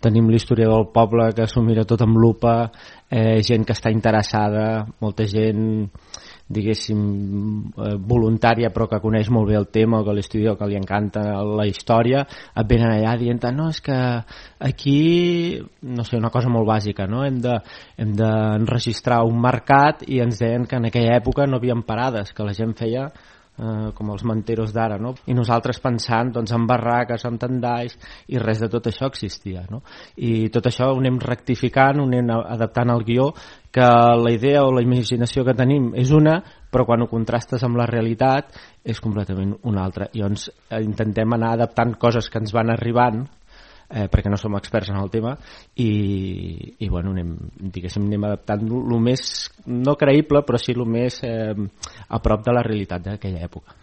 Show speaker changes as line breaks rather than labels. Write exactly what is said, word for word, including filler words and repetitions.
Tenim l'historiador del poble que s'ho mira tot amb lupa, eh, gent que està interessada, molta gent diguéssim eh, voluntària però que coneix molt bé el tema o que l'estudia o que li encanta la història, et venen allà dient no, és que aquí no sé, una cosa molt bàsica, no? hem de hem d'enregistrar un mercat i ens deien que en aquella època no havien parades, que la gent feia Uh, com els manteros d'ara, no? I nosaltres pensant doncs, en barraques, en tendalls, i res de tot això existia, no? I tot això ho anem rectificant, ho anem adaptant al guió, que la idea o la imaginació que tenim és una, però quan ho contrastes amb la realitat és completament una altra. I llavors eh, intentem anar adaptant coses que ens van arribant, eh, perquè no som experts en el tema, i, i bueno, anem, diguéssim, anem adaptant el més, no creïble, però sí el més eh, a prop de la realitat d'aquella època.